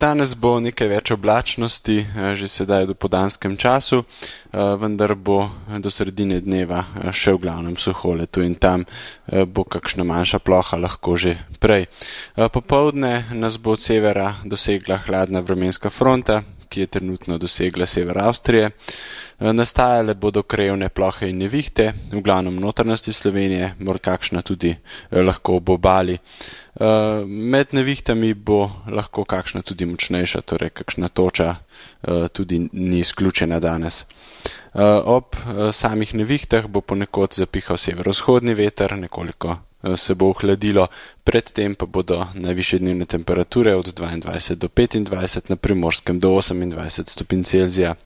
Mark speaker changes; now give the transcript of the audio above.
Speaker 1: Danes bo nekaj več oblačnosti, že sedaj v dopoldanskem času, vendar bo do sredine dneva še v glavnem suho, le tu in tam bo kakšna manjša ploha lahko že prej. Popoldne nas bo od severa dosegla hladna vremenska fronta, ki je trenutno dosegla sever Avstrije. Nastajale bodo krajevne plohe in nevihte, v glavnem v notranjosti Slovenije, morda kakšna tudi lahko ob obali. Med nevihtami bo lahko kakšna tudi močnejša, torej kakšna toča tudi ni izključena danes. Ob samih nevihtah bo ponekod zapihal severovzhodni veter, nekoliko se bo ohladilo, predtem pa bodo najvišje dnevne temperature od 22 do 25, na Primorskem do 28 stopinj Celzija.